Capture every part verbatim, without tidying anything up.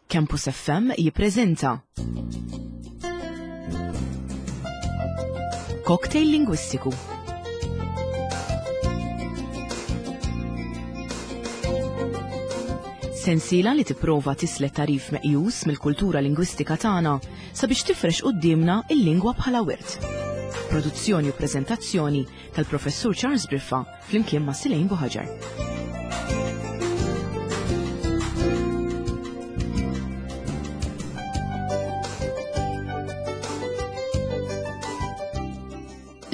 Campus F M jippreżenta Cocktail Lingwistiku. Sensiela li tipprova tislet tarif meqjus mill-kultura lingwistika tagħna sabiex tifrex quddiemna il-lingwa bħala wirt. Produzzjoni u preżentazzjoni tal-Professur Charles Briffa flimkien ma' Silejn Buħaġar.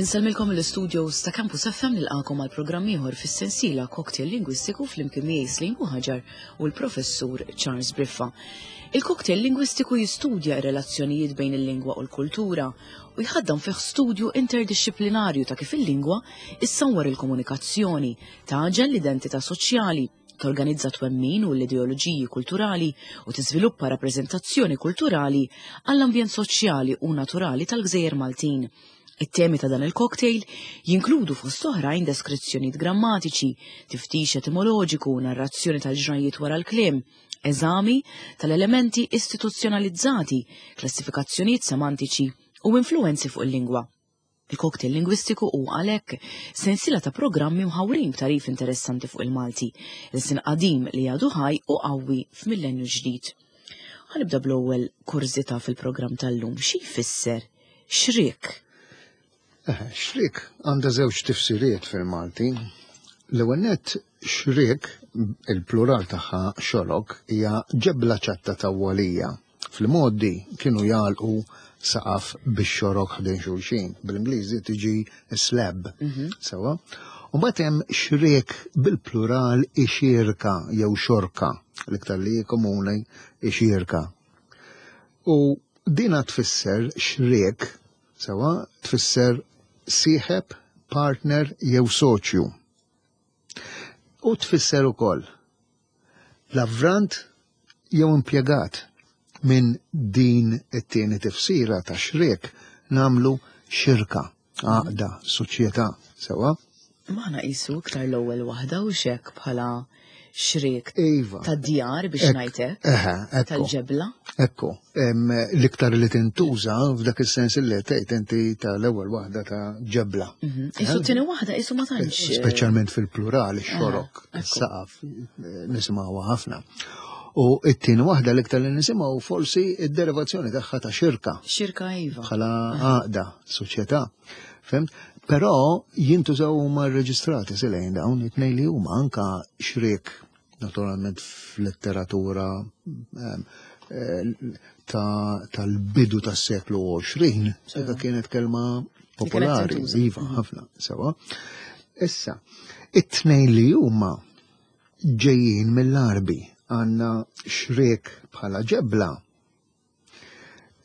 Insellmilkom l-istudios ta' Campus F M nilqakom għal programm ieħor fis-sensiela Cocktail Lingwistiku flimkien miegħi Silejn Buħaġar u l-Professur Charles Briffa. Il-cocktail lingwistiku jistudja r-relazzjonijiet bejn il-lingwa u l-kultura u jħaddam fih studju interdixxiplinarju ta' kif il-lingwa issawwar il-komunikazzjoni, taġel l-identità soċjali, torganizza twemmin u l-ideoloġiji kulturali u tiżviluppa rappreżentazzjoni kulturali għall-ambjent soċjali u naturali tal-Gżejjer Maltin. It-temi ta' dan il-cocktail jinkludu fost oħrajn deskrizzjonijiet grammatiċi, tiftix etimoloġiku, narrazzjoni tal-ġrajiet wara l-kliem, eżami tal-elementi istituzzjonalizzati, klassifikazzjonijiet semantiċi u influenzi fuq il-lingwa. Il-cocktail lingwistiku hu għalhekk sensiela ta' programmi mħawrin b'tarif interessanti fuq il-Malti, il-sin qadim li għadu ħaj u qawwi f'millenju ġdid. Ħanibda bl-ewwel kurżità fil-programm tal-lum. Xi jfisser xrik? Eh, xrik għandha żewġ tifsiriet fil-Malti. L-ewwel nett xrik, il-plural tagħha xorok, hija ġebla ċatta tawwalija. Fil-modi kienu jagħlqu saqaf bix-xorok ħdejn xulxin. Bl-Ingliżi tiġi slab. Mhm. Sewa. U mbagħad hemm xriek bil-plural ixirka jew xorka, l-iktar li komuni ixirka. U dina tfisser xriek, sewa, tfisser sieħeb, partner jew soċju. U tfisser ukoll lavrant jew impjegat. Minn din it-tieni tifsira ta' xriek namlu xirka, għaqda, soċjetà, sewa? Maħna qisu iktar l-ewwel waħda u xek bħala xriek Iva. ta' djar biex Ek- ngħidlek, Eħe, ekku. tal-ġebla. Ekku, em, l-iktar li tintuża f'dak is-sens li tgħid inti tal-ewwel waħda ta' ġebla. Mhm. Isu t-tieni waħda isu ma tantx, eh, Speċjalment fil-plural, ix-xorok, Eħe, ekku. is-saqaf, eh, nisimgħuha ħafna. U t-tieni waħda l-iktar li nisimgħu forsi id-derivazzjoni tagħha ta' xirka. Xirka, iva. Bħala għaqda, soċjetà. Fimt? Però jintużaw huma rreġistrati silejn dawn it-tnejn li huma anka xriek naturalment fl-letteratura, ehm, eh, ta-, tal-bidu tas-seklu għoxrin, Sewa. dak kienet kelma Li kienet popolari, tintuża. iva, Mhm. ħafna, sewa. Issa, it-tnejn li huma ġejjin mill-Arbi, għandna xriek bħala ġebla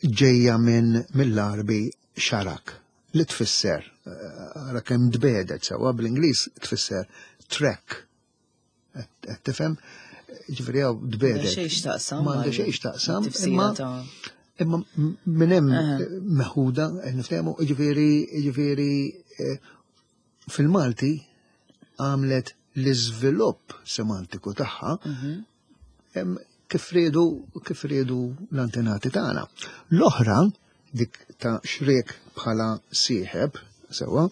ġejja minn mill-Arbi xarak, li tfisser, eh, ara kemm tbedet sewa bl-Ingliż tfisser track. Qed tifhem? Ġifieri hawn tbedet. M'għandha xejn x'taqsam M'għandha mal- xejn x'taqsam, tifsira imma ta' imma minn hemm Aha. meħuda, qed niftehmu, ġifieri, ġifieri, eh, fil-Malti għamlet l-iżvilupp semantiku tagħha, Mhm. em, kif riedu, kif riedu l-antenati tagħna. L-oħra, dik ta' xriek bħala sieħeb, sewa,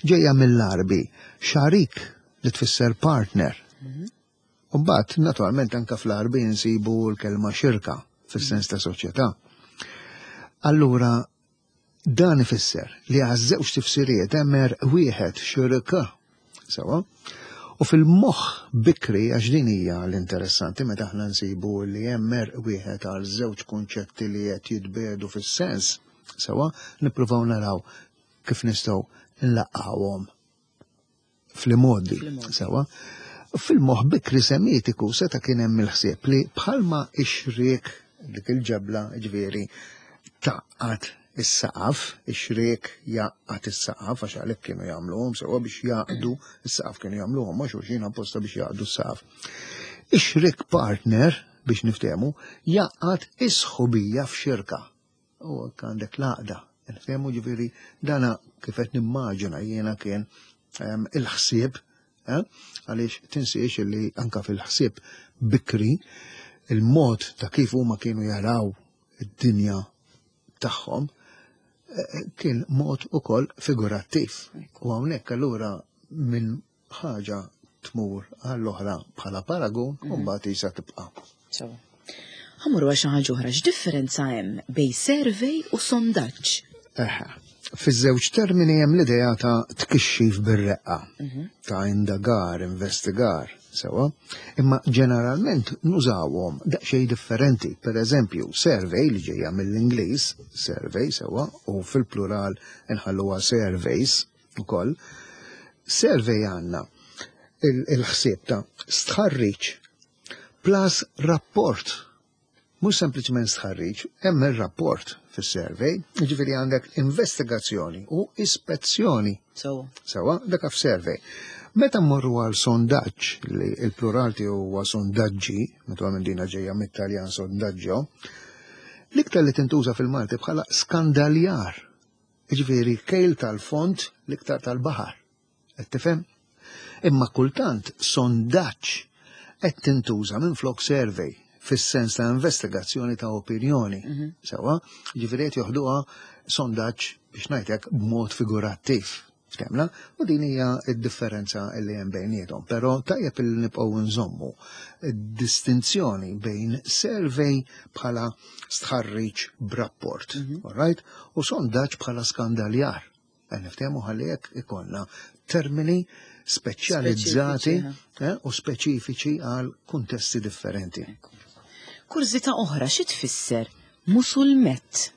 ġejja mill-Arbi, xarik li tfisser partner. Mhm. U mbagħad, naturalment, anka fl-Arbi nsibu l-kelma xirka, fis-sens ta' soċjetà. Allura, dan ifisser li għaż-żewġ tifsiriet hemm er wieħed xirka, sewa, u fil-moħħ bikri, għax din hija l-interessanti meta aħna nsibu li hemm er wieħed għal żewġ kunċetti li qed jitbedu fis-sens, sewa, nippruvaw naraw kif nistgħu nlaqqawhom fl-modi, Fl-modi. sewa. Fil-moħħ bikri semitiku seta' kien hemm il-ħsieb li bħalma ix-xriek dik il-ġebla, ġifieri, taqqat is-saqaf, ix-xriek jaqgħad is-saqaf, għax għalhekk kienu jagħmluhom sewa biex jaqdu is-saqaf, kienu jagħmluhom ma' xulxin apposta biex jaqdu s-saqaf. Ix-xriek partner, biex niftehmu, jaqgħad is-sħubija f'xirka. U hekk għandek l-għaqda. Niftehmu, ġifieri, dana kif qed nimmaġina jiena kien, ehm, il-ħsieb, eh, għaliex tinsiex li anka fil-ħsieb bikri Il-mod ta' kif huma kienu jaraw id-dinja tagħhom eh, kien mod ukoll figurattiv. U hawnhekk allura minn ħaġa tmur għall-oħra bħala paragun u mbagħad isa tibqa'. Sewa. Ħa mmorru għal xi ħaġa oħra, x'differenza hemm bejn survey u sondaġġ? Eħe. Fiż-żewġ termini hemm l-idea ta' tkixxif bir-reqqa, ta' indagar, investigar, sewa. Imma ġeneralment nużawhom daqsxejn differenti. Per eżempju, survey li ġejja mill-Ingliż, survey sewa, u fil-plural inħalluha surveys ukoll. Survey għandna il-ħsieb ta' stħarriġ plus rapport. Mhux sempliċement stħarriġ, hemm ir-rapport fis-survey, jiġifieri għandek investigazzjoni u ispezzjoni. Sewa. Sewa, dak f'survey. Meta mmorru għal sondaġġ, li il-plural tiegħu huwa sondaġġi, naturalment dina ġejja mit-Taljan sondaggio, l-iktar li tintuża fil-Malti bħala skandaljar. Jiġifieri kejl tal-fond l-iktar tal-baħar. Qed tifhem? Imma kultant sondaġġ qed tintuża minn flok survey fis-sens ta' investigazzjoni ta' opinjoni. Sewa, ġifieri qed joħduha sondaġġ biex ngħidlek b'mod figurattiv. Ftemna? U din hija d-differenza li hemm bejniethom. Però tajjeb li nibqgħu nżommu distinzjoni bejn survey bħala stħarriġ b'rapport, all right? U sondaġġ bħala skandaljar. Niftehmu ħalli hekk ikollna termini speċjalizzati Speċifiċi, eh, u speċifiċi għal kuntesti differenti. Kurżità oħra xi tfisser musulmet?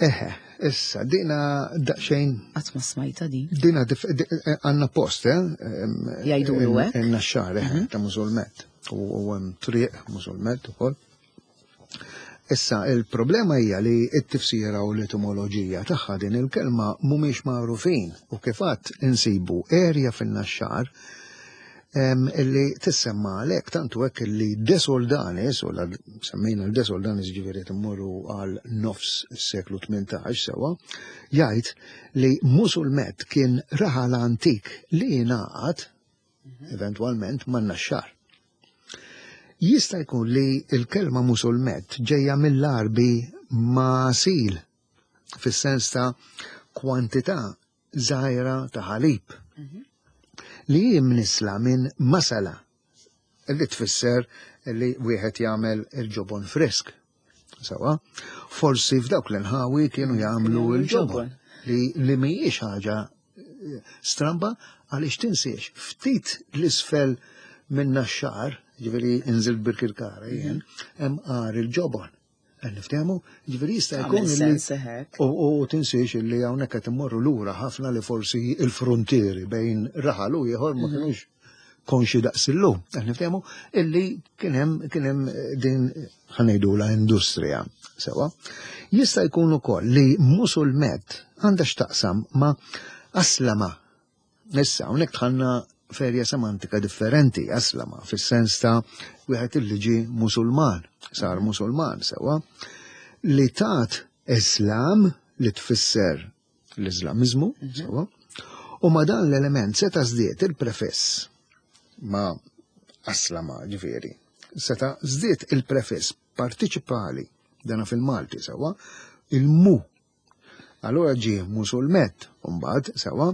Eħe, issa, dina daqsxejn Qatt ma smajta din. Dina dif- di- eh, għandna post, eh? em, Jgħidulu in- hekk? In-Naxxar, eh, ta' Musulmet. U u hemm triq Musulmet ukoll. Issa, il-problema hija li t-tifsira u l-etimoloġija tagħha din il-kelma mhumiex magħrufin u kif għadd insibu erja fin-Naxxar em, illi tissemma għalhekk tantu hekk illi De Soldanis, u la semmejna l-De Soldanis ġifieri timmorru għal nofs is-seklu tmintax sewa, jgħid li Musulmet kien raħal antik li jingħaqad eventwalment man-Naxxar. Jista' jkun li l-kelma Musulmet ġejja mill-Arbi masil, fis-sens ta' kwantità żgħira ta' ħalib li hi mnisla minn masala li tfisser li wieħed jagħmel il-ġobon frisk. Sewa, forsi f'dawk l-inħawi kienu jagħmlu il-ġobon li, li mhijiex ħaġa eh, stramba għaliex tinsiex ftit l-isfel minn Naxxar, ġifieri inżil Birkirkara jien, hemm għar il-ġobon. Qed niftehmu, ġifieri jista' jkun Għamil li sens hekk. U, u tinsiex li hawnhekk qed immorru lura ħafna li forsi il-frontieri bejn raħal u ieħor ma kinux konxi daqs illum. Qed niftehmu illi kien hemm kien hemm din ħa ngħidula industrija. Sewa. Jista' jkun ukoll li Musulmet għandha x'taqsam ma' aslama. Issa hawnhekk dħalna f'erja semantika differenti, aslama, fis-sens ta' wieħed illi ġie Musulman, sar Musulman sewa, li tat Islam li tfisser l-Islamiżmu, sewa, u ma dan l-element seta' żdied il-prefiss ma' aslama ġifieri, seta' żdied il-prefiss partiċipali dana fil-Malti sewa, il-mu. Allora ġie Musulmet, mbagħad sewa,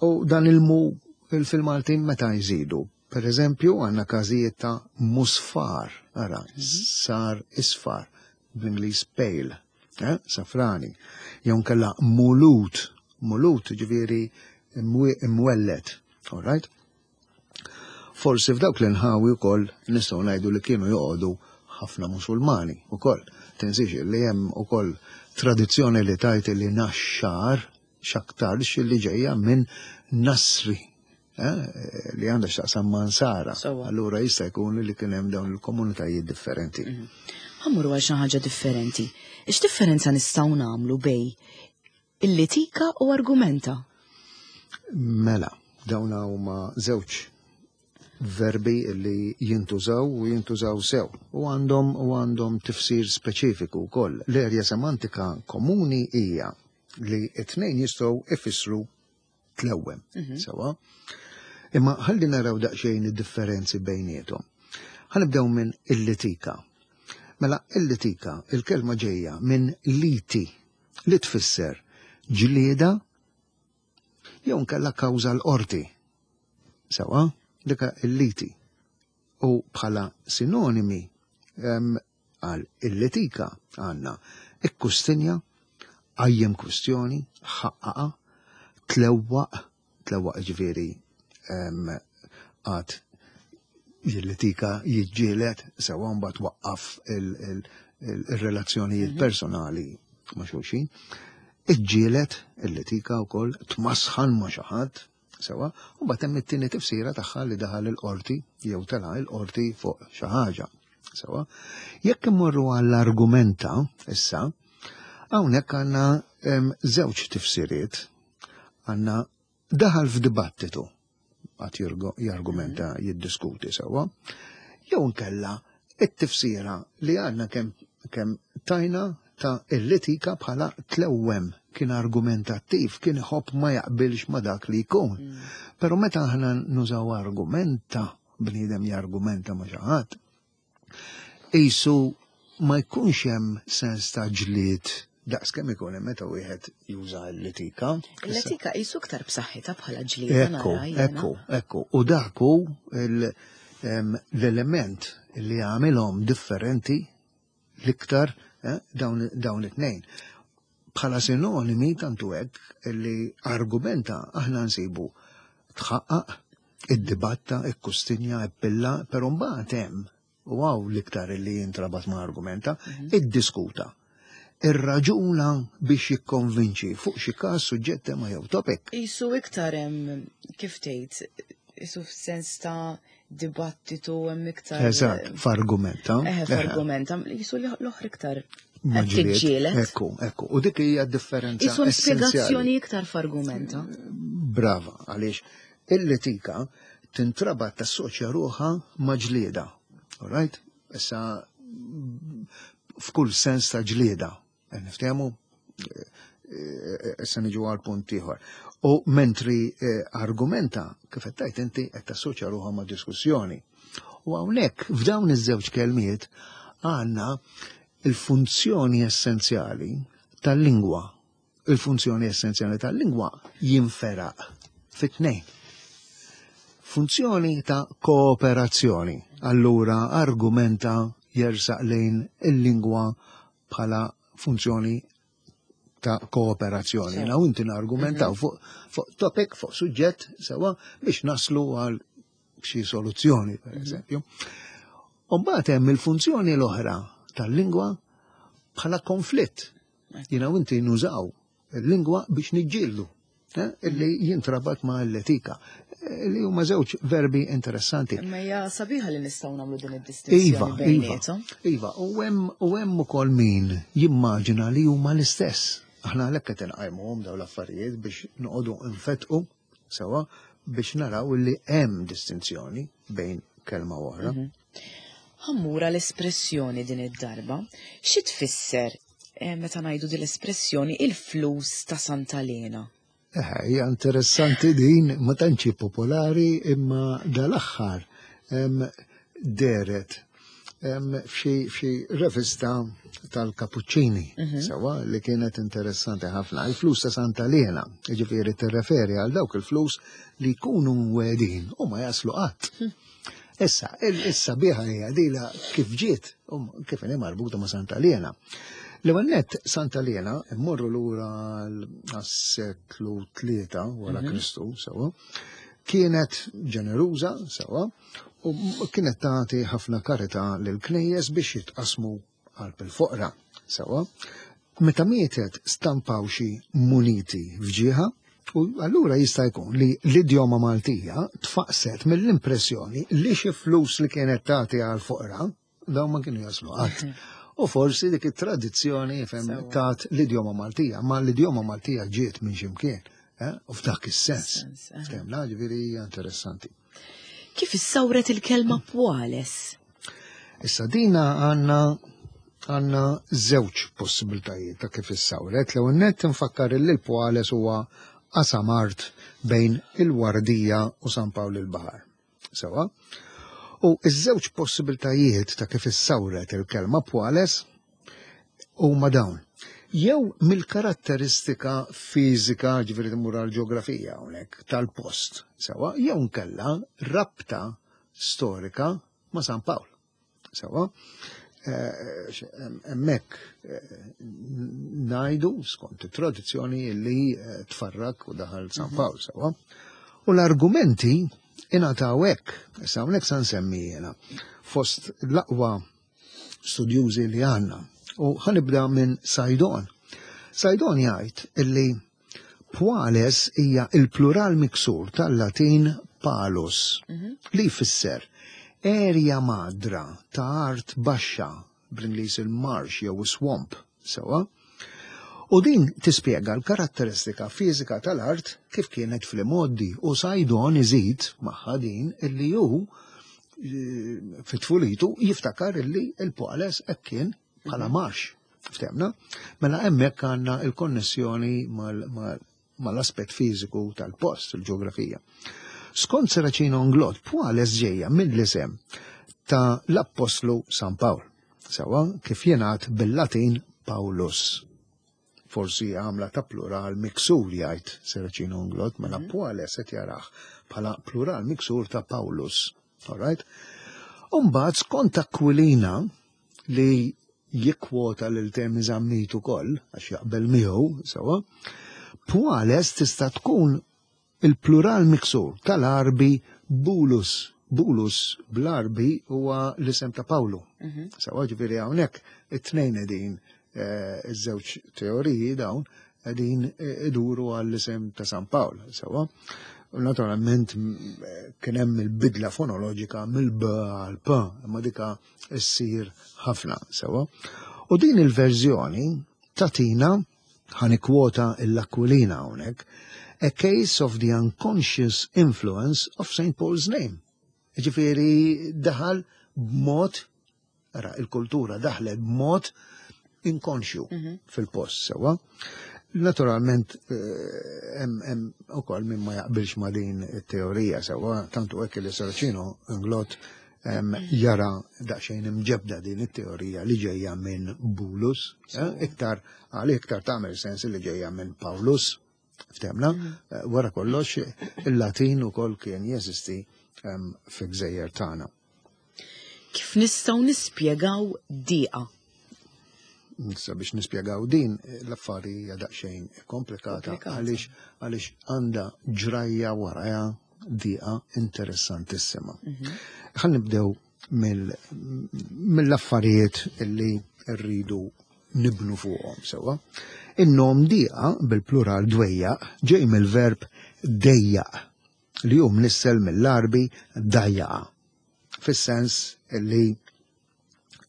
u dan il-mu fil-Malti meta jżidu. Per eżempju, għandna każijiet ta' musfar, ara, sar isfar, bl-Ingliż pale, eh, safrani. Jew nkella mulut, mulut ġifieri imwellet, all right? Forsi f'dawk l-inħawi wkoll nistgħu ngħidu li kienu joqogħdu ħafna Musulmani wkoll. Tinsiex li hemm ukoll tradizzjoni li tajt li Naxxar x'aktarx li ġejja minn Nasri, eh, li għandha x'taqsam ma' Nsara. Sewwa. Allura jista' jkun li kien hemm dawn il-komunitajiet differenti. Ħa mmorru għal xi ħaġa differenti. X'differenza nistgħu nagħmlu bejn il-litika u argumenta? Mela, dawn huma żewġ verbi li jintużaw u jintużaw sew u għandhom u għandhom tifsir speċifiku wkoll. L-erja semantika komuni hija li t-tnejn jistgħu ifissru tlewwem, sewa. Imma ħalli naraw daqsxejn id-differenzi bejniethom. Ħa nibdew minn il-litika. Mela il-litika, il-kelma ġejja minn liti, li tfisser ġlieda jew nkella kawża l-qorti. Sewa, dika il-liti. U bħala sinonimi għal il-litika għandna ikkustinja, qajjem kwistjoni, ħaqqaqa, tlewwaq, tlewwaq ġifieri għad jillitika, jiġġieled, sewa mbagħad waqqaf il-relazzjonijiet personali ma' xulxin. Iġġieled il-litika wkoll, tmasħan ma' xi ħadd, sewa, u mbagħad hemm it-tieni tifsira tagħha li daħal il-qorti jew tela' il-qorti fuq xi ħaġa. Sewa. Jekk immorru għall-argumenta issa, hawnhekk għandna żewġ tifsiriet. Għandna daħal f'dibattitu, għad jargumenta, jiddiskuti, sewa, jew nkella it-tifsira li għandna kemm kem tajna ta' il-litika bħala tlewwem, kien argumentattiv, kien iħobb ma jaqbilx ma dak li jkun. Mm. Pero meta aħna nużaw argumenta, bniedem jargumenta ma xi ħadd, qisu ma jkunx hemm sens ta' ġlied daqs kemm ikun hemm meta wieħed juża l-litika. Il-litika qisu iktar b'saħħitha bħala ġlieda. Ekku, ekku, ekku. U dak hu l-element li għamilhom differenti l-iktar eh, dawn, dawn it-tnejn. Bħala sinonimi tantu hekk li argumenta aħna nsibu tħaqqaq, id-dibatta, ikkustinja, ippilla, però mbagħad hemm, u hawn l-iktar li jintrabat ma' argumenta, mhm. iddiskuta. Irraġuna biex jikkonvinċi fuq xi każ, suġġett, tema jew topic. Qisu iktar hemm, kif tgħid, qisu f'sens ta' dibattitu hemm iktar. Eżatt, f'argumenta. Eħe, f'argumenta, qisu l-oħra iktar. Tiġġieled. Ekku, ekku. U dik hija differenza. Qisu spjegazzjoni iktar f'argumenta. Brava, għaliex il-litika tintrabat, tassoċja ruħha ma' ġlieda. All right? Issa f'kull sens ta' ġlieda. Niftehmu? Issa niġu għal punt ieħor. U mentri eh, argumenta, kif qed tgħid inti, qed tassoċja ruħha ma' diskussjoni. U hawnhekk f'dawn iż-żewġ kelmiet għandna il-funzjoni essenzjali tal-lingwa. Il-funzjoni essenzjali tal-lingwa jinferaq fit-tnejn. Funzjoni ta' kooperazzjoni. Allura argumenta jersaq lejn il-lingwa bħala funzjoni ta' kooperazzjoni. Na inti nargumentaw fuq fuq topic, fuq suġġett, sewa, biex naslu għal xi soluzzjoni, per eżempju. U mbagħad hemm il-funzjoni l-oħra tal-lingwa bħala konflitt. Jiena u inti nużaw il-lingwa biex niġġieldu, eh, illi jintrabat ma' l-etika, li huma żewġ verbi interessanti. Imma hija sabiħa li nistgħu nagħmlu din id-distinzjoni Iva, iva, bejniethom. Iva, u hemm u hemm ukoll min jimmaġina li huma l-istess. Aħna għalhekk qed inqajmuhom dawn l-affarijiet biex noqogħdu nfetqu sewa biex naraw li hemm distinzjoni bejn kelma u oħra. Ħa mmur l-espressjoni din id-darba. Xi tfisser eh, meta ngħidu din l-espressjoni "il-flus ta' Santa Lena"? Eh, hija interessanti din, ma tantx popolari, imma dal-aħħar em, dehret em, f'xi f'xi revista tal-Kapuċċini, sewa, li kienet interessanti ħafna. Il-flus ta' Santa Lena, ġifieri tirreferi għal dawk il-flus li jkunu mwegħdin u ma jaslu qatt. Issa, issa biħa hija dila kif ġiet, um, kif inhi marbuta ma' Santa Lena. L-ewwel nett, Santa Lena, immorru lura għas-seklu tlieta wara Kristu, sewa, kienet ġeneruża, sewa, u kienet tagħti ħafna karità lil knejjes biex jitqasmu qalb il-foqra, sewa. Meta mietet stampaw xi muniti f'ġieħa, u allura jista' jkun li l-idjoma Maltija tfaqset mill-impressjoni li xi flus li kienet tagħti għal foqra dawn ma kienu jaslu qatt. U forsi dik it-tradizzjoni fem Sewa. tat l-idjoma Maltija, ma l-idjoma Maltija ġiet minn ximkien, eh? U f'dak is-sens. Sens, eh. Ftemna, ġifieri hija interessanti. Kif issawret il-kelma "pwales"? Issa dina għandna għandna żewġ possibiltajiet ta' kif issawret. L-ewwel nett nfakkar li l-Pwales huwa qasam art bejn il-Wardija u San Pawl il-Baħar. Sewa. U iż-żewġ possibiltajiet ta' kif issawret il-kelma Pwales huma dawn. Jew mill-karatteristika fiżika, ġifieri tmur għall-ġeografija hawnhekk tal-post, sewa, jew nkella rabta storika ma' San Pawl. Sewa, hemmhekk ngħidu skont it-tradizzjoni li tfarrak u daħal San Pawl, sewa. U l-argumenti ingħataw hekk, issa hawnhekk sa nsemmi jiena fost l-aqwa studjużi li għandna. U ħa nibda minn Saydon. Saydon jgħid illi Pwales hija il-plural miksur tal-Latin palus, li jfisser erja madra ta' art baxxa, bl-Ingliż il-marsh jew swamp, sewa. U din tispjega l-karatteristika fiżika tal-art kif kienet fl-imgħoddi, u Saydon iżid magħha din illi hu fit-tfulitu jiftakar illi il-Pwales hekk kien bħala marsh. Ftehmna? Mela hemmhekk għandna il-konnessjoni mal-aspett fiżiku tal-post, il-ġeografija. Skont Serracino Inglott, Pwales ġejja mill-isem ta' l-Appostlu San Pawl. Sewa, kif jingħad bil-Latin Paulus. Forsi għamla ta' plural miksur, jgħid Serracino Inglott, mela Pwales qed jarah bħala plural miksur ta' Paulus. All right? Umbagħad skont Aquilina, li jikkwota lil Temi Zammit ukoll, għax jaqbel miegħu, sewa, Pwales tista' tkun il-plural miksur tal-Arbi Bulus. Bulus bl-Arbi huwa l-isem ta' Pawlu. Sewa, ġifieri hawnhekk it-tnejn qegħdin, iż-żewġ teoriji dawn qegħdin iduru għall-isem ta' San Pawl, sewa. U naturalment kien hemm il-bidla fonoloġika mill-B għal P, imma dika ssir ħafna, sewa. U din il-verżjoni tatina, ħa nikkwota l-Aquilina hawnhekk, a case of the unconscious influence of Saint Paul's name. Ġifieri daħal b'mod, ara, il-kultura daħlet b'mod inkonxju fil-post, sewa. Naturalment, hemm ukoll min ma jaqbilx ma' din it-teorija, sewa, tantu hekk li Serracino Inglott jara daqsxejn imġebda din it-teorija li ġejja minn Bulus, iktar għal iktar tagħmel sens li ġejja minn Paulus, ftehmna, wara kollox il-Latin ukoll kien jeżisti fi gżejjer tagħna. Kif nistgħu nispjegaw diqa? Issa biex nispjegaw din l-affari hija daqsxejn komplikata għaliex għaliex għandha ġrajja warajha diqa interessantissima. Ħa nibdew mill-affarijiet illi rridu nibnu fuqhom sewwa. In-nom diqa bil-plural dwejjaq ġej mill-verb dejjaq li hu mnissel mill-Arbi dajjaqa, fis-sens illi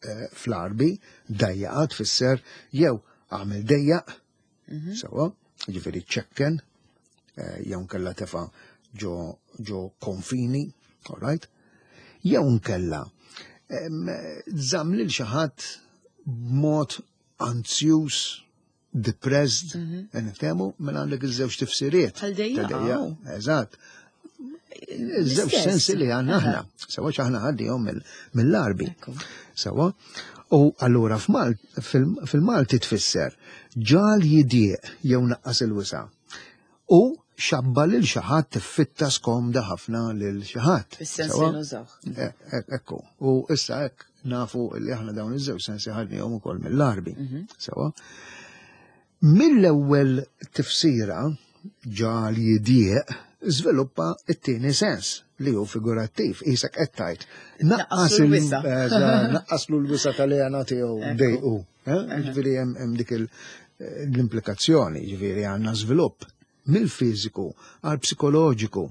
fl-Arbi dajjaqa tfisser jew għamel dejjaq, sewwa, ġifieri ċekken, jew nkella tefa' ġo ġo konfini, all right? Jew nkella żamm lil xi ħadd b'mod anzjuż, depressed, niftehmu, mela għandek iż-żewġ tifsiriet. Bħal dejjaq. Eżatt. Iż-żewġ sensi li għandna aħna. Sewa aħna ħaddihom mill-Arbi. Sewa. U allura fil-Malti tfisser ġal jidieq jew naqqas il-wisa. U xabba lil xi ħadd tiffitta skomda ħafna lil xi ħadd. Fis-sens li nużaw. Ekku. U issa hekk nafu li aħna dawn iż-żewġ sensi ħadnihom ukoll mill-Arbi. Sewa. Mill-ewwel tifsira ġal jidieq żviluppa it-tieni sens li hu figurattiv, qisek qed tgħid. Naqqas naqqaslu l-wisa tal-għena tiegħu dejqu. Ġifieri hemm dik l-implikazzjoni, ġifieri għandna żvilupp mill-fiżiku għal psikoloġiku.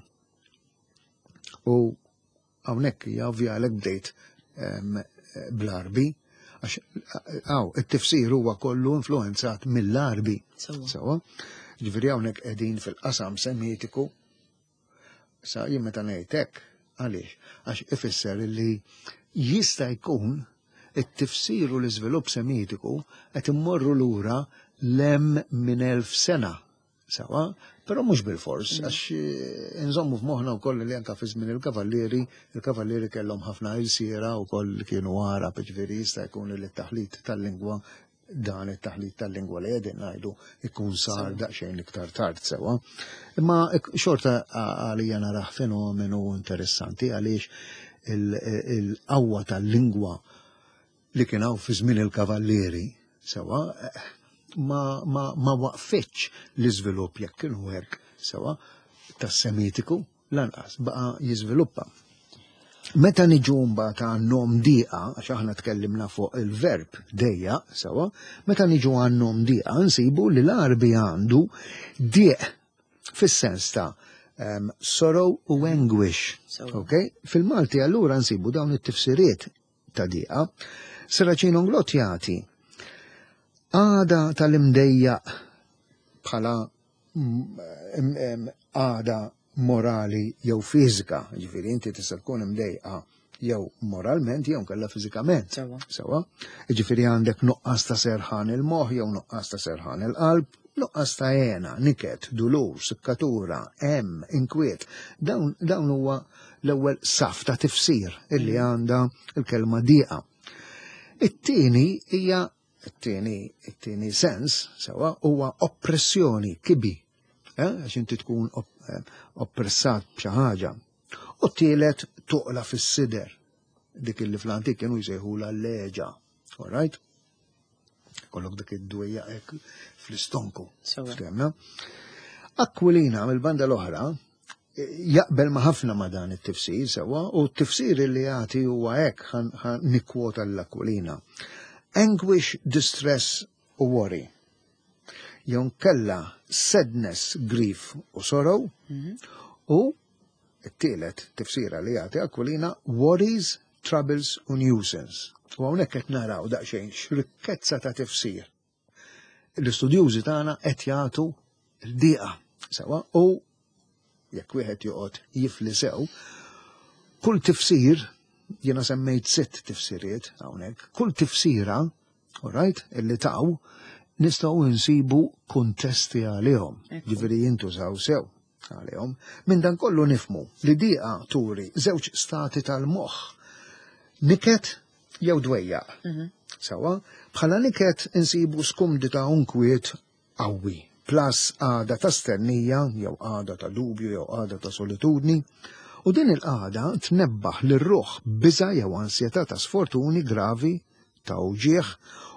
U hawnhekk hija ovvja għalhekk bdejt bl-Arbi, għax għaw, it-tifsir huwa kollu influenzat mill-Arbi. Sewa. Ġifieri hawnhekk qegħdin fil-qasam semitiku. Sa jien meta ngħid hekk, għaliex? Għax ifisser li jista' jkun it-tifsir u l-iżvilupp semitiku qed immorru lura lem minn elf sena. Sewwa, però mhux bil-fors, għax eh, nżommu f'moħħna wkoll li anka fi żmien il-kavallieri, il-kavallieri kellhom ħafna ilsiera wkoll li kienu Għarab, ġifieri jista' jkun li t-taħlit tal-lingwa, dan it-taħlit tal-lingwa li qegħdin ngħidu, ikun sar daqsxejn iktar tard, sewwa. Imma xorta għalija narah fenomenu interessanti, għaliex il-qawwa tal-lingwa li kien hawn fi żmien il-kavallieri, sewwa, ma, ma, ma waqfitx l-iżvilupp, jekk kienu hekk, sewwa, tas-Semitiku lanqas, baqa' jiżviluppa. Meta niġu mbagħad għan-nom diqa, għax aħna tkellimna fuq il-verb dejja, sewwa, meta niġu għan-nom diqa nsibu li l-Għarbi għandu diq fis-sens ta' um, sorrow u anguish. Okay? Fil-Malti allura nsibu dawn it-tifsiriet ta' diqa. Serracino Inglott jagħti għada tal-imdejjaq bħala għada morali jew fiżika, ġifieri inti tista' tkun imdejqa jew moralment jew kella fiżikament. Sewwa. Ġifieri għandek nuqqas ta' serħan il-moħħ jew nuqqas ta' serħan il-qalb, nuqqas ta' hena, niket, dulur, sikkatura, hemm, inkwiet. Dawn, dawn huwa l-ewwel saf ta' tifsir illi għandha il-kelma diqa. It-tieni hija it-tieni it-tieni sens, sewwa, huwa oppressjoni, kibi. Eh? Għax inti tkun oppressat b'xi ħaġa. U t-tielet, toqla fis-sider, dik illi fl-antik kienu jsejħula l-leġa. All right? Kollok dik id-dwejja hekk fl-istonku. Ftehmna? Aquilina mill-banda l-oħra jaqbel ma ħafna ma dan it-tifsir, sewwa, u t-tifsir li jagħti huwa hekk, ħa nikkwota l-Aquilina. Anguish, distress u worry. Jew kella sadness, grief u sorrow, u t-tielet tifsira li jagħti Aquilina, worries, troubles u nuisance. U hawnhekk qed naraw daqsxejn x'rikkezza ta' tifsir l-istudjużi tagħna qed jagħtu l-diqa. Sewwa, u jekk wieħed joqgħod jifli sew, kull tifsir, jiena semmejt sitt tifsiriet hawnhekk, kull tifsira, all right, illi taw, nistgħu nsibu kuntesti għalihom, ġifieri jintużaw sew għalihom. Minn dan kollu nifhmu li diqa turi żewġ stati tal-moħħ, niket jew dwejjaq. Sewwa, bħala niket insibu skumdità u nkwiet qawwi, plus għada ta' stennija, jew għada ta' dubju, jew għada ta' solitudni, u din il-qagħda tnebbaħ lir-ruħ biża jew ansjetà ta' sfortuni gravi, ta' uġieħ,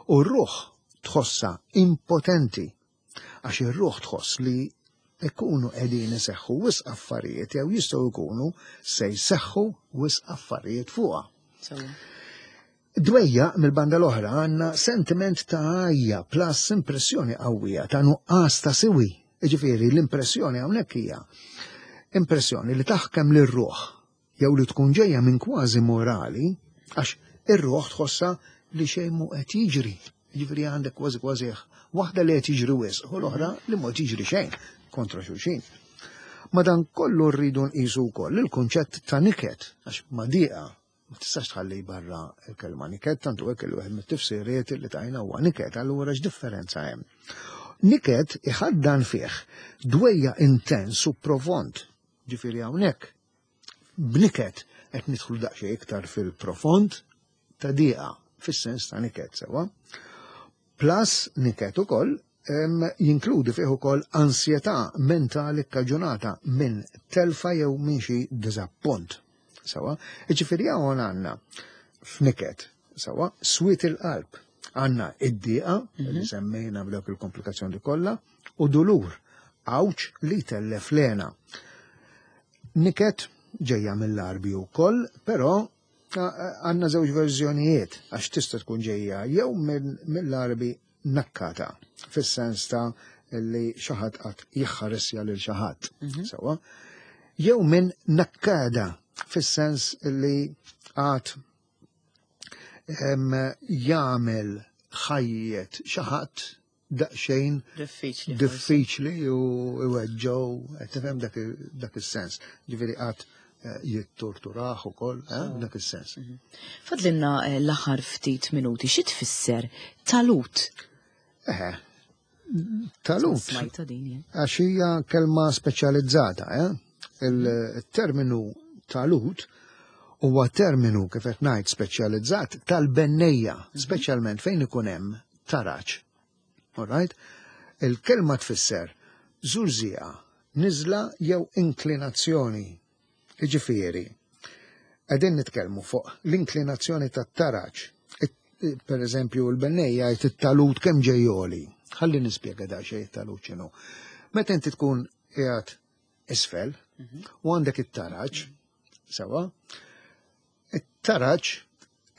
u r-ruħ tħossa impotenti, għax ir-ruħ tħoss li ikunu qegħdin iseħħu wisq affarijiet jew jistgħu jkunu se jseħħu wisq affarijiet fuqha. Dwejja mill-banda l-oħra għandna sentiment ta' għajja plus impressjoni qawwija ta' nuqqas ta' siwi. Ġifieri l-impressjoni hawnhekk hija impressjoni li taħkem lir-ruħ jew li tkun ġejja minn kważi morali, għax ir-ruħ tħossa li xejn mhu qed jiġri. Ġifieri għandek kważi kważi waħda li qed jiġri wisq u l-oħra li mhu qed jiġri xejn, kontra xulxin. Ma dan kollu rridu nqisu wkoll il-kunċett ta' niket, għax ma diqa ma tistax tħalli barra il-kelma niket, tantu hekk il wieħed mit-tifsiriet li tajna huwa niket, allura x'differenza hemm? Niket iħaddan fih dwejja intens u profond. Ġifieri hawnhekk b'niket qed nidħlu daqsxejn iktar fil-profond ta' diqa, fis-sens ta' niket, sewwa. Plus niket ukoll jinkludi fih ukoll ansjetà mentali kkaġunata minn telfa jew minn xi diżappunt. Sewwa, ġifieri hawn għandna f'niket, sewwa, swied il-qalb, għandna id-diqa li semmejna b'dawk il-komplikazzjoni kollha, u dulur, għawġ li tellef lena. Niket ġejja mill-Għarbi wkoll, però għandna żewġ verżjonijiet, għax tista' tkun ġejja jew mill-Għarbi nakkata, fis-sens ta' li xi ħadd qatt jħarisja lil xi ħadd, sewwa, jew minn nakkada, fis-sens li għad jagħmel ħajjet xi ħadd daqsxejn diffiċli, diffiċli u iweġġew, qed tifhem dak dak is-sens. Ġifieri qatt eh, jittorturaħ ukoll, eh, dak is-sens. Mhm. Fadlinna eh, l-aħħar ftit minuti, xi tfisser talut? Eħe, Talut. Smajta din jien. Għax hija kelma speċjalizzata, eh? Il-terminu talut huwa terminu, kif qed ngħid, speċjalizzat tal-bennejja, speċjalment fejn ikun hemm taraġ. All right? Il-kelma tfisser żurżieqa, niżla jew inklinazzjoni. Jiġifieri, qegħdin nitkellmu fuq l-inklinazzjoni tat-taraġ. Per eżempju, l-bennejja jgħid it-talut kemm ġej għoli. Ħalli nispjega da xejn it-talut x'inhu. Meta inti tkun qiegħed isfel u għandek it-taraġ, sewa, it-taraġ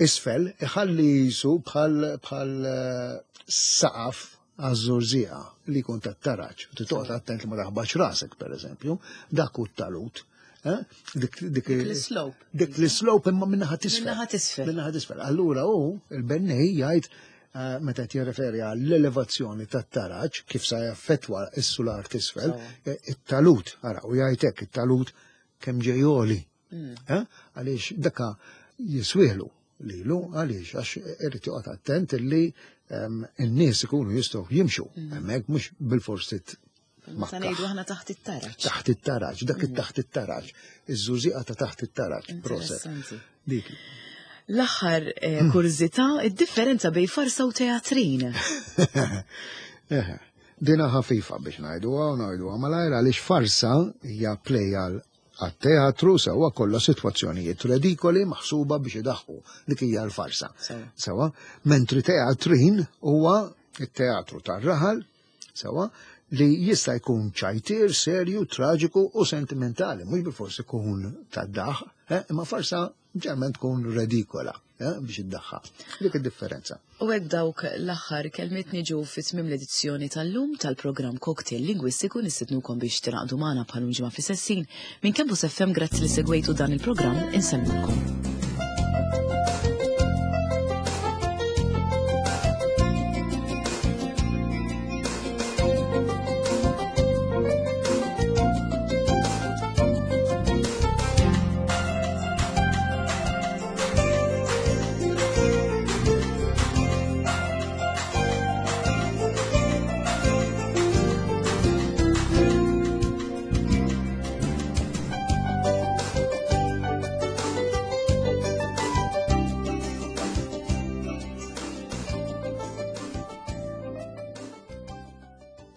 isfel iħalli jisu bħal bħal eh, saqaf għaż-żurżieqa li jkun tat-taraġ. U toqgħod attent li ma taħbax rasek, per eżempju, dak hu t-talut. Eh? Dik dik l-slope. Dik l-slope imma min-naħa t'isfel. Min-naħa t'isfel. Min-naħa t'isfel. Allura hu il-bennej jgħid eh, meta qed jirreferi għall-elevazzjoni tat-taraġ kif sa jaffettwa s-sular t'isfel, eh, it-talut, ara, u jgħid hekk it-talut kemm ġej għoli. Eh? Għaliex daka jiswielu lilu, għaliex għax irid joqgħod attent illi em, in-nies ikunu jistgħu jimxu hemmhekk, mhux bilfors Meta ngħidu aħna taħt it-taraġ. Taħt it-taraġ, dak it-taħt it-taraġ, iż-żurżieqa ta' taħt it-taraġ, proset. Interessanti. Dik. L-aħħar eh, kurżità, id-differenza bejn farsa u teatrin. Eħe, dina ħafifa biex ngħiduha u ngħiduha malajr, għaliex farsa hija play għal għat-teatru, sewa, kollha sitwazzjonijiet redikoli maħsuba biex idaħħu. Dik hija l-farsa. Sewa. Sewa, mentri teatrin huwa it-teatru tar-raħal, sewa, li jista' jkun ċajtir, serju, traġiku u sentimentali, mhux bilfors ikun tad-daħ, eh, imma farsa ġeneralment tkun redikola, eh, biex iddaħħa. Dik id-differenza. U hekk dawk l-aħħar kelmiet niġu fi tmiem l-edizzjoni tal-lum tal-programm Cocktail Lingwistiku. Nistednukom biex tingħaqdu magħna bħal ġimgħa fl-istess ħin. Minn Campus F M, grazzi li segwejtu dan il-programm, insellmulkom.